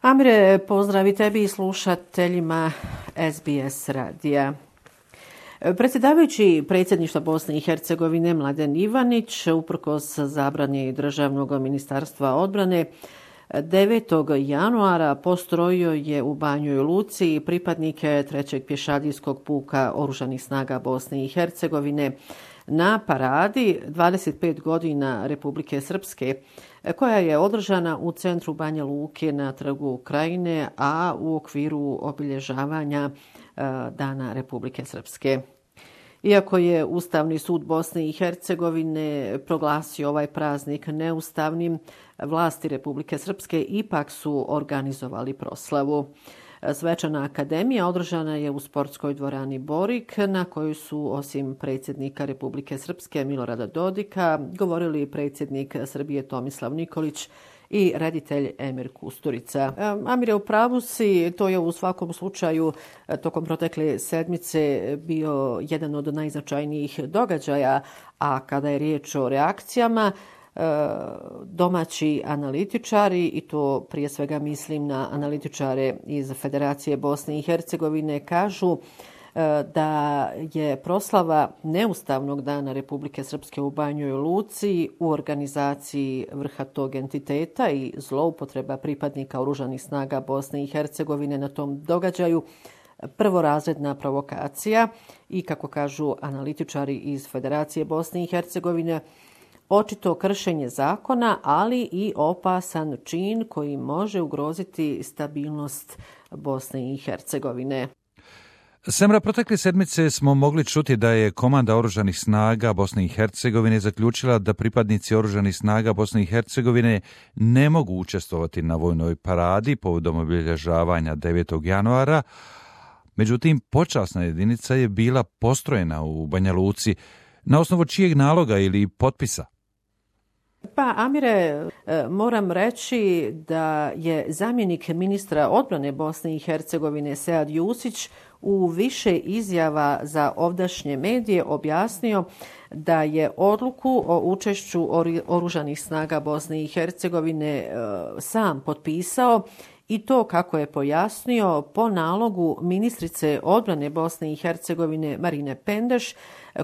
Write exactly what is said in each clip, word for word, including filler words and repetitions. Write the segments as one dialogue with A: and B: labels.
A: Amire, pozdravi tebi i slušateljima S B S radija. Predsjedavajući predsjedništva Bosne i Hercegovine Mladen Ivanić, uprkos zabrani Državnog ministarstva odbrane, devetog januara postrojio je u Banjoj Luci pripadnike trećeg pješadijskog puka Oružanih snaga Bosne i Hercegovine na paradi dvadeset pet godina Republike Srpske, koja je održana u centru Banja Luke na Trgu Krajine, a u okviru obilježavanja Dana Republike Srpske. Iako je Ustavni sud Bosne i Hercegovine proglasio ovaj praznik neustavnim, vlasti Republike Srpske ipak su organizovali proslavu. Svečana akademija održana je u sportskoj dvorani Borik, na kojoj su osim predsjednika Republike Srpske Milorada Dodika govorili predsjednik Srbije Tomislav Nikolić i reditelj Emir Kusturica. Amire, u pravu si, to je u svakom slučaju tokom protekle sedmice bio jedan od najznačajnijih događaja, a kada je riječ o reakcijama, domaći analitičari, i to prije svega mislim na analitičare iz Federacije Bosne i Hercegovine, kažu da je proslava neustavnog dana Republike Srpske u Banjoj Luci u organizaciji vrha tog entiteta i zloupotreba pripadnika Oružanih snaga Bosne i Hercegovine na tom događaju prvorazredna provokacija i, kako kažu analitičari iz Federacije Bosne i Hercegovine, očito kršenje zakona, ali i opasan čin koji može ugroziti stabilnost Bosne i Hercegovine.
B: Semra, protekle sedmice smo mogli čuti da je Komanda Oružanih snaga Bosne i Hercegovine zaključila da pripadnici Oružanih snaga Bosne i Hercegovine ne mogu učestvovati na vojnoj paradi povodom obilježavanja devetog januara. Međutim, počasna jedinica je bila postrojena u Banja Luci. Na osnovu čijeg naloga ili potpisa?
A: Pa, Amire, moram reći da je zamjenik ministra odbrane Bosne i Hercegovine Sead Jusić u više izjava za ovdašnje medije objasnio da je odluku o učešću Oružanih snaga Bosne i Hercegovine sam potpisao, i to, kako je pojasnio, po nalogu ministrice odbrane Bosne i Hercegovine Marine Pendeš,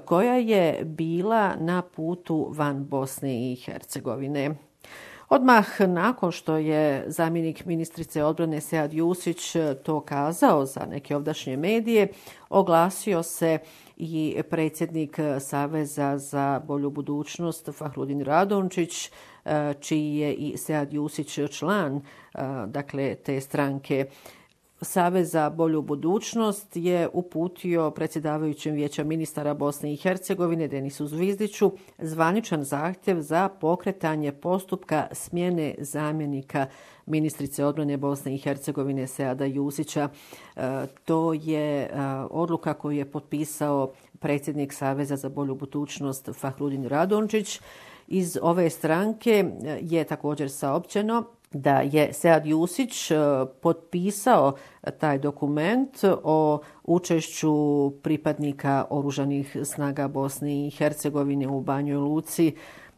A: koja je bila na putu van Bosne i Hercegovine. Odmah nakon što je zamjenik ministrice odbrane Sead Jusić to kazao za neke ovdašnje medije, oglasio se i predsjednik Saveza za bolju budućnost Fahrudin Radončić, čiji je i Sead Jusić član, dakle, te stranke. Savez za bolju budućnost je uputio predsjedavajućem Vijeća ministara Bosne i Hercegovine Denisu Zvizdiću zvaničan zahtjev za pokretanje postupka smjene zamjenika ministrice odbrane Bosne i Hercegovine Seada Jusića. E, to je e, odluka koju je potpisao predsjednik Saveza za bolju budućnost Fahrudin Radončić. Iz ove stranke je također saopćeno da je Sead Jusić potpisao taj dokument o učešću pripadnika Oružanih snaga Bosne i Hercegovine u Banjoj Luci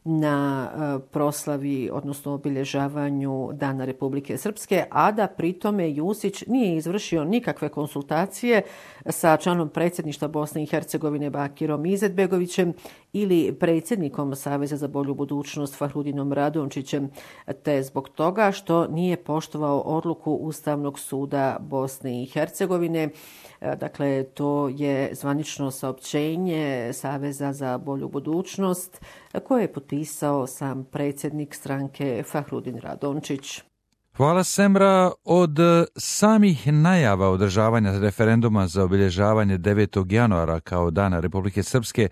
A: na proslavi, odnosno obilježavanju Dana Republike Srpske, a da pritome Jusić nije izvršio nikakve konsultacije sa članom predsjedništva Bosne i Hercegovine Bakirom Izetbegovićem ili predsjednikom Saveza za bolju budućnost Fahrudinom Radončićem, te zbog toga što nije poštovao odluku Ustavnog suda Bosne i Hercegovine. Dakle, to je zvanično saopćenje Saveza za bolju budućnost koje je potpisao sam predsjednik stranke Fahrudin Radončić.
B: Hvala, Semra. Od samih najava održavanja referenduma za obilježavanje devetog januara kao Dana Republike Srpske,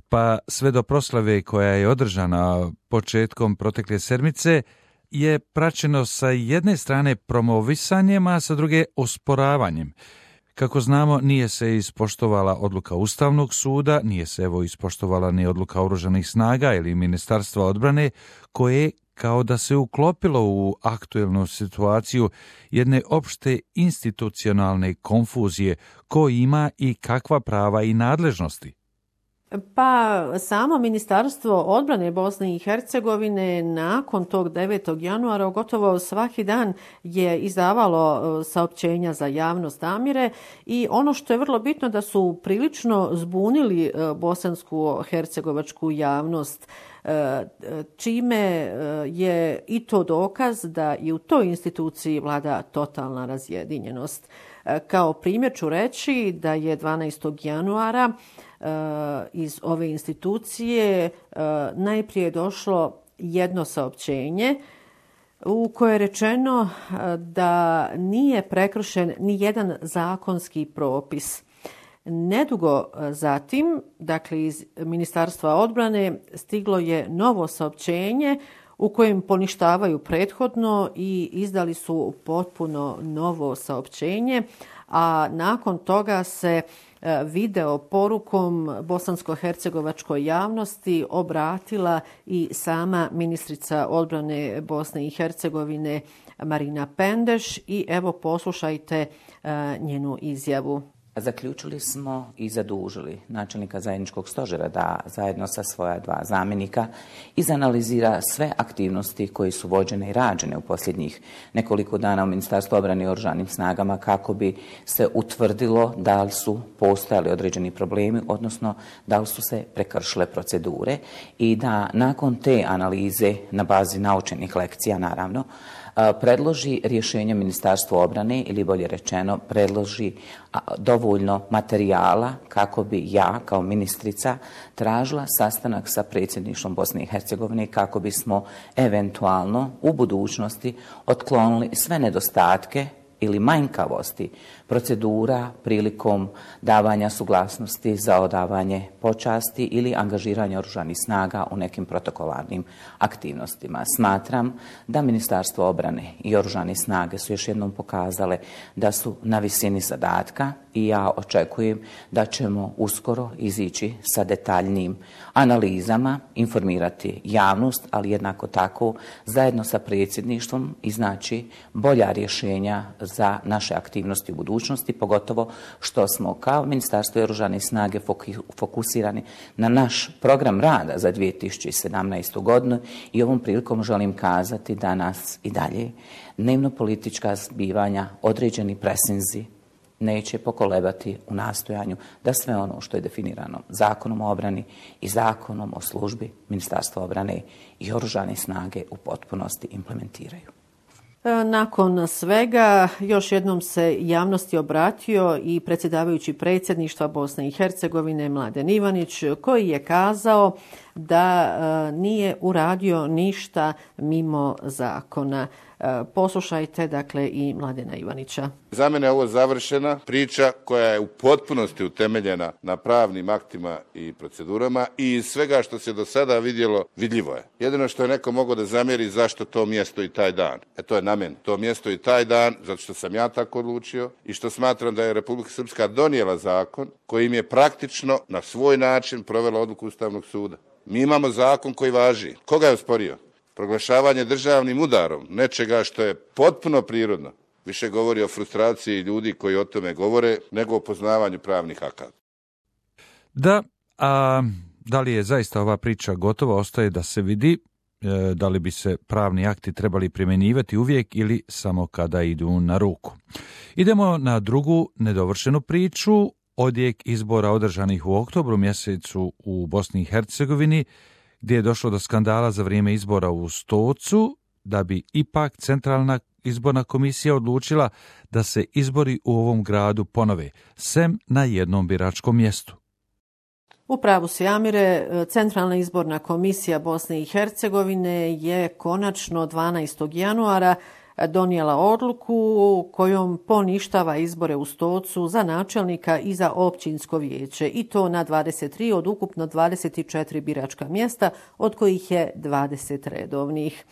B: pa sve do proslave koja je održana početkom protekle sedmice, je praćeno sa jedne strane promovisanjem, a sa druge osporavanjem. Kako znamo, nije se ispoštovala odluka Ustavnog suda, nije se evo ispoštovala ni odluka Oružanih snaga ili Ministarstva odbrane, koje kao da se uklopilo u aktuelnu situaciju jedne opšte institucionalne konfuzije ko ima i kakva prava i nadležnosti.
A: Pa samo Ministarstvo odbrane Bosne i Hercegovine nakon tog devetog januara gotovo svaki dan je izdavalo saopćenja za javnost Amire i ono što je vrlo bitno da su prilično zbunili bosansku hercegovačku javnost, čime je i to dokaz da i u toj instituciji vlada totalna razjedinjenost. Kao primjer ću reći da je dvanaestog januara iz ove institucije najprije došlo jedno saopćenje u koje je rečeno da nije prekršen ni jedan zakonski propis. Nedugo zatim, dakle iz Ministarstva odbrane, stiglo je novo saopćenje u kojem poništavaju prethodno i izdali su potpuno novo saopćenje, a nakon toga se video porukom bosansko-hercegovačkoj javnosti obratila i sama ministrica odbrane Bosne i Hercegovine Marina Pendeš i evo poslušajte njenu izjavu.
C: Zaključili smo i zadužili načelnika zajedničkog stožera da zajedno sa svoja dva zamjenika izanalizira sve aktivnosti koje su vođene i rađene u posljednjih nekoliko dana u Ministarstvu obrane i oružanim snagama kako bi se utvrdilo da li su postojali određeni problemi, odnosno da li su se prekršile procedure i da nakon te analize na bazi naučenih lekcija naravno predloži rješenje Ministarstva obrane ili bolje rečeno predloži dovoljno materijala kako bi ja kao ministrica tražila sastanak sa predsjedništvom Bosne i Hercegovine kako bismo eventualno u budućnosti otklonili sve nedostatke ili manjkavosti procedura prilikom davanja suglasnosti za odavanje počasti ili angažiranje oružanih snaga u nekim protokolarnim aktivnostima. Smatram da Ministarstvo obrane i oružane snage su još jednom pokazale da su na visini zadatka i ja očekujem da ćemo uskoro izići sa detaljnim analizama, informirati javnost, ali jednako tako zajedno sa predsjedništvom iznaći bolja rješenja za naše aktivnosti u budućnosti, pogotovo što smo kao Ministarstvo oružane snage fokusirani na naš program rada za dvije tisuće sedamnaestu. godinu i ovom prilikom želim kazati da nas i dalje dnevno politička zbivanja, određeni presinzi neće pokolebati u nastojanju da sve ono što je definirano Zakonom o obrani i Zakonom o službi Ministarstva obrane i oružane snage u potpunosti implementiraju.
A: Nakon svega, još jednom se javnosti obratio i predsjedavajući predsjedništva Bosne i Hercegovine Mladen Ivanić, koji je kazao da nije uradio ništa mimo zakona. Poslušajte dakle i Mladena Ivanića.
D: Za mene je ovo završena priča koja je u potpunosti utemeljena na pravnim aktima i procedurama i iz svega što se do sada vidjelo, vidljivo je. Jedino što je neko mogao da zamjeri zašto to mjesto i taj dan. E to je na meni. To mjesto i taj dan, zato što sam ja tako odlučio i što smatram da je Republika Srpska donijela zakon kojim je praktično na svoj način provela odluku Ustavnog suda. Mi imamo zakon koji važi. Koga je osporio? Proglašavanje državnim udarom nečega što je potpuno prirodno više govori o frustraciji ljudi koji o tome govore nego o poznavanju pravnih akata.
B: Da, a da li je zaista ova priča gotova, ostaje da se vidi e, da li bi se pravni akti trebali primjenjivati uvijek ili samo kada idu na ruku. Idemo na drugu nedovršenu priču, odjek izbora održanih u oktobru mjesecu u Bosni i Hercegovini, gdje je došlo do skandala za vrijeme izbora u Stocu, da bi ipak Centralna izborna komisija odlučila da se izbori u ovom gradu ponove, sem na jednom biračkom mjestu.
A: U pravu si, Amire, Centralna izborna komisija Bosne i Hercegovine je konačno dvanaestog januara donijela odluku kojom poništava izbore u Stocu za načelnika i za općinsko vijeće i to na dvadeset tri od ukupno dvadeset četiri biračka mjesta, od kojih je dvadeset redovnih.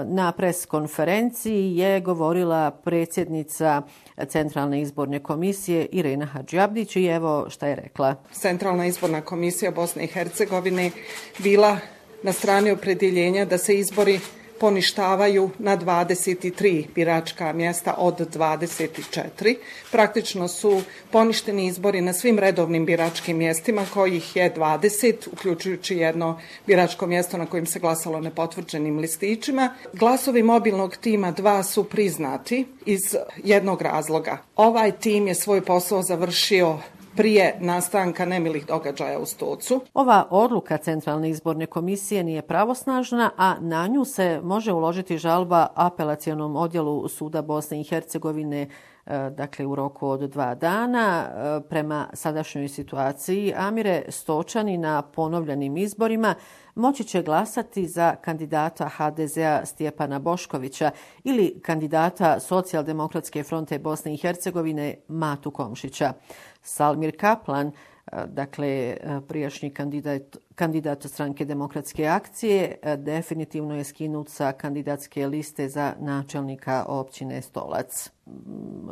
A: Na pres konferenciji je govorila predsjednica Centralne izborne komisije Irena Hadžiabdić i evo šta je rekla.
E: Centralna izborna komisija Bosne i Hercegovine bila na strani opredjeljenja da se izbori poništavaju na dvadeset tri biračka mjesta od dvadeset četiri. Praktično su poništeni izbori na svim redovnim biračkim mjestima, kojih je dvadeset, uključujući jedno biračko mjesto na kojim se glasalo nepotvrđenim listićima. Glasovi mobilnog tima dva su priznati iz jednog razloga. Ovaj tim je svoj posao završio prije nastanka nemilih događaja u Stocu.
A: Ova odluka Centralne izborne komisije nije pravosnažna, a na nju se može uložiti žalba apelacionom odjelu Suda Bosne i Hercegovine, dakle u roku od dva dana. Prema sadašnjoj situaciji, Amire, Stočani na ponovljenim izborima moći će glasati za kandidata ha de zea Stjepana Boškovića ili kandidata Socijaldemokratske fronte Bosne i Hercegovine Matu Komšića. Salmir Kaplan, dakle prijašnji kandidat, kandidat stranke Demokratske akcije, definitivno je skinut sa kandidatske liste za načelnika općine Stolac.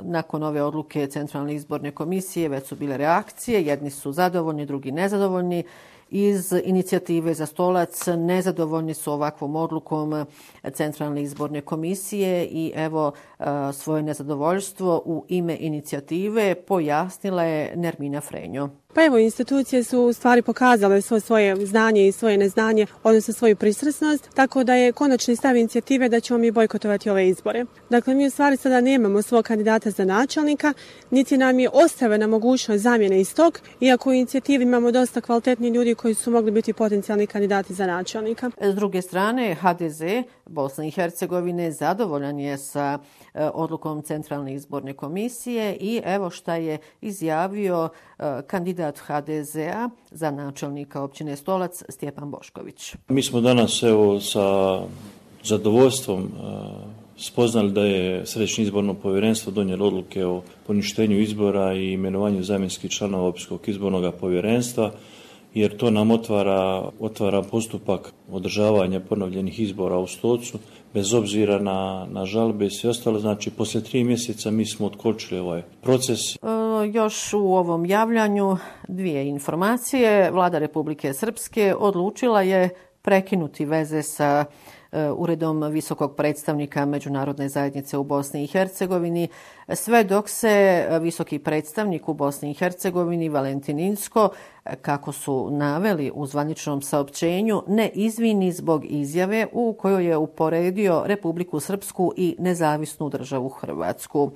A: Nakon ove odluke Centralne izborne komisije već su bile reakcije, jedni su zadovoljni, drugi nezadovoljni. Iz inicijative za Stolac nezadovoljni su ovakvom odlukom Centralne izborne komisije i evo svoje nezadovoljstvo u ime inicijative pojasnila je Nermina Frenjo.
F: Pa evo, institucije su u stvari pokazale svoje, svoje znanje i svoje neznanje, odnosno svoju pristrasnost, tako da je konačni stav inicijative da ćemo mi bojkotovati ove izbore. Dakle, mi u stvari sada nemamo svog kandidata za načelnika, niti nam je ostavljena mogućnost zamjene istog, iako u inicijativi imamo dosta kvalitetni ljudi koji su mogli biti potencijalni kandidati za načelnika.
A: S druge strane, ha de ze Bosne i Hercegovine zadovoljan je sa odlukom Centralne izborne komisije i evo šta je izjavio kandidat ha de zea za načelnika općine Stolac Stjepan Bošković.
G: Mi smo danas evo sa zadovoljstvom spoznali da je Središnje izborno povjerenstvo donijelo odluke o poništenju izbora i imenovanju zamjenskih članova Općinskog izbornog povjerenstva, jer to nam otvara, otvara postupak održavanja ponovljenih izbora u Stocu, bez obzira na, na žalbe i sve ostalo. Znači, poslije tri mjeseca mi smo otkočili ovaj proces.
A: E, još u ovom javljanju dvije informacije. Vlada Republike Srpske odlučila je prekinuti veze sa Uredom visokog predstavnika Međunarodne zajednice u Bosni i Hercegovini, sve dok se visoki predstavnik u Bosni i Hercegovini Valentin Inzko, kako su naveli u zvaničnom saopćenju, ne izvini zbog izjave u kojoj je uporedio Republiku Srpsku i nezavisnu državu Hrvatsku.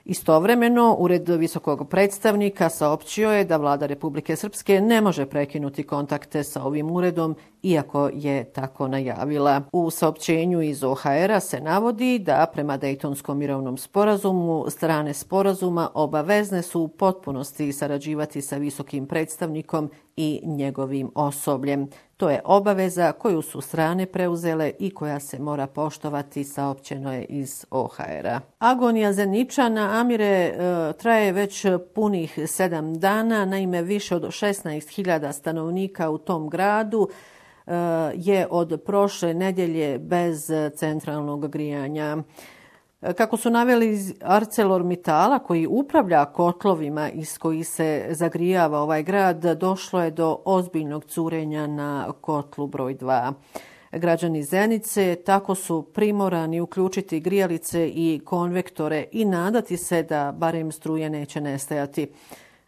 A: Istovremeno, Ured visokog predstavnika saopćio je da Vlada Republike Srpske ne može prekinuti kontakte sa ovim uredom, iako je tako najavila. U saopćenju iz o ha era se navodi da prema Dejtonskom mirovnom sporazumu strane sporazuma obavezne su u potpunosti sarađivati sa visokim predstavnikom i njegovim osobljem. To je obaveza koju su strane preuzele i koja se mora poštovati, saopćeno je iz o ha era. Agonija Zeničana, Amire, traje već punih sedam dana. Naime, više od šesnaest hiljada stanovnika u tom gradu je od prošle nedjelje bez centralnog grijanja. Kako su naveli iz ArcelorMittala, koji upravlja kotlovima iz kojih se zagrijava ovaj grad, došlo je do ozbiljnog curenja na kotlu broj dva. Građani Zenice tako su primorani uključiti grijalice i konvektore i nadati se da barem struje neće nestajati.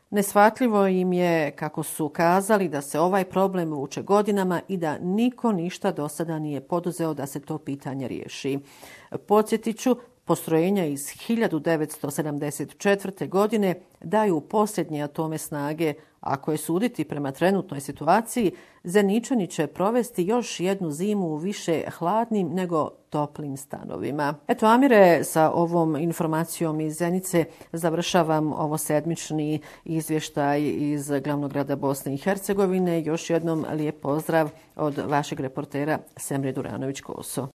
A: Neshvatljivo im je, kako su kazali, da se ovaj problem vuče godinama i da niko ništa do sada nije poduzeo da se to pitanje riješi. Podsjetit ću, postrojenja iz hiljadu devetsto sedamdeset četvrte. godine daju posljednje atome snage. Ako je suditi prema trenutnoj situaciji, Zeničani će provesti još jednu zimu u više hladnim nego toplim stanovima. Eto, Amire, sa ovom informacijom iz Zenice završavam ovo sedmični izvještaj iz glavnog grada Bosne i Hercegovine. Još jednom lijep pozdrav od vašeg reportera Semre Duranović-Koso.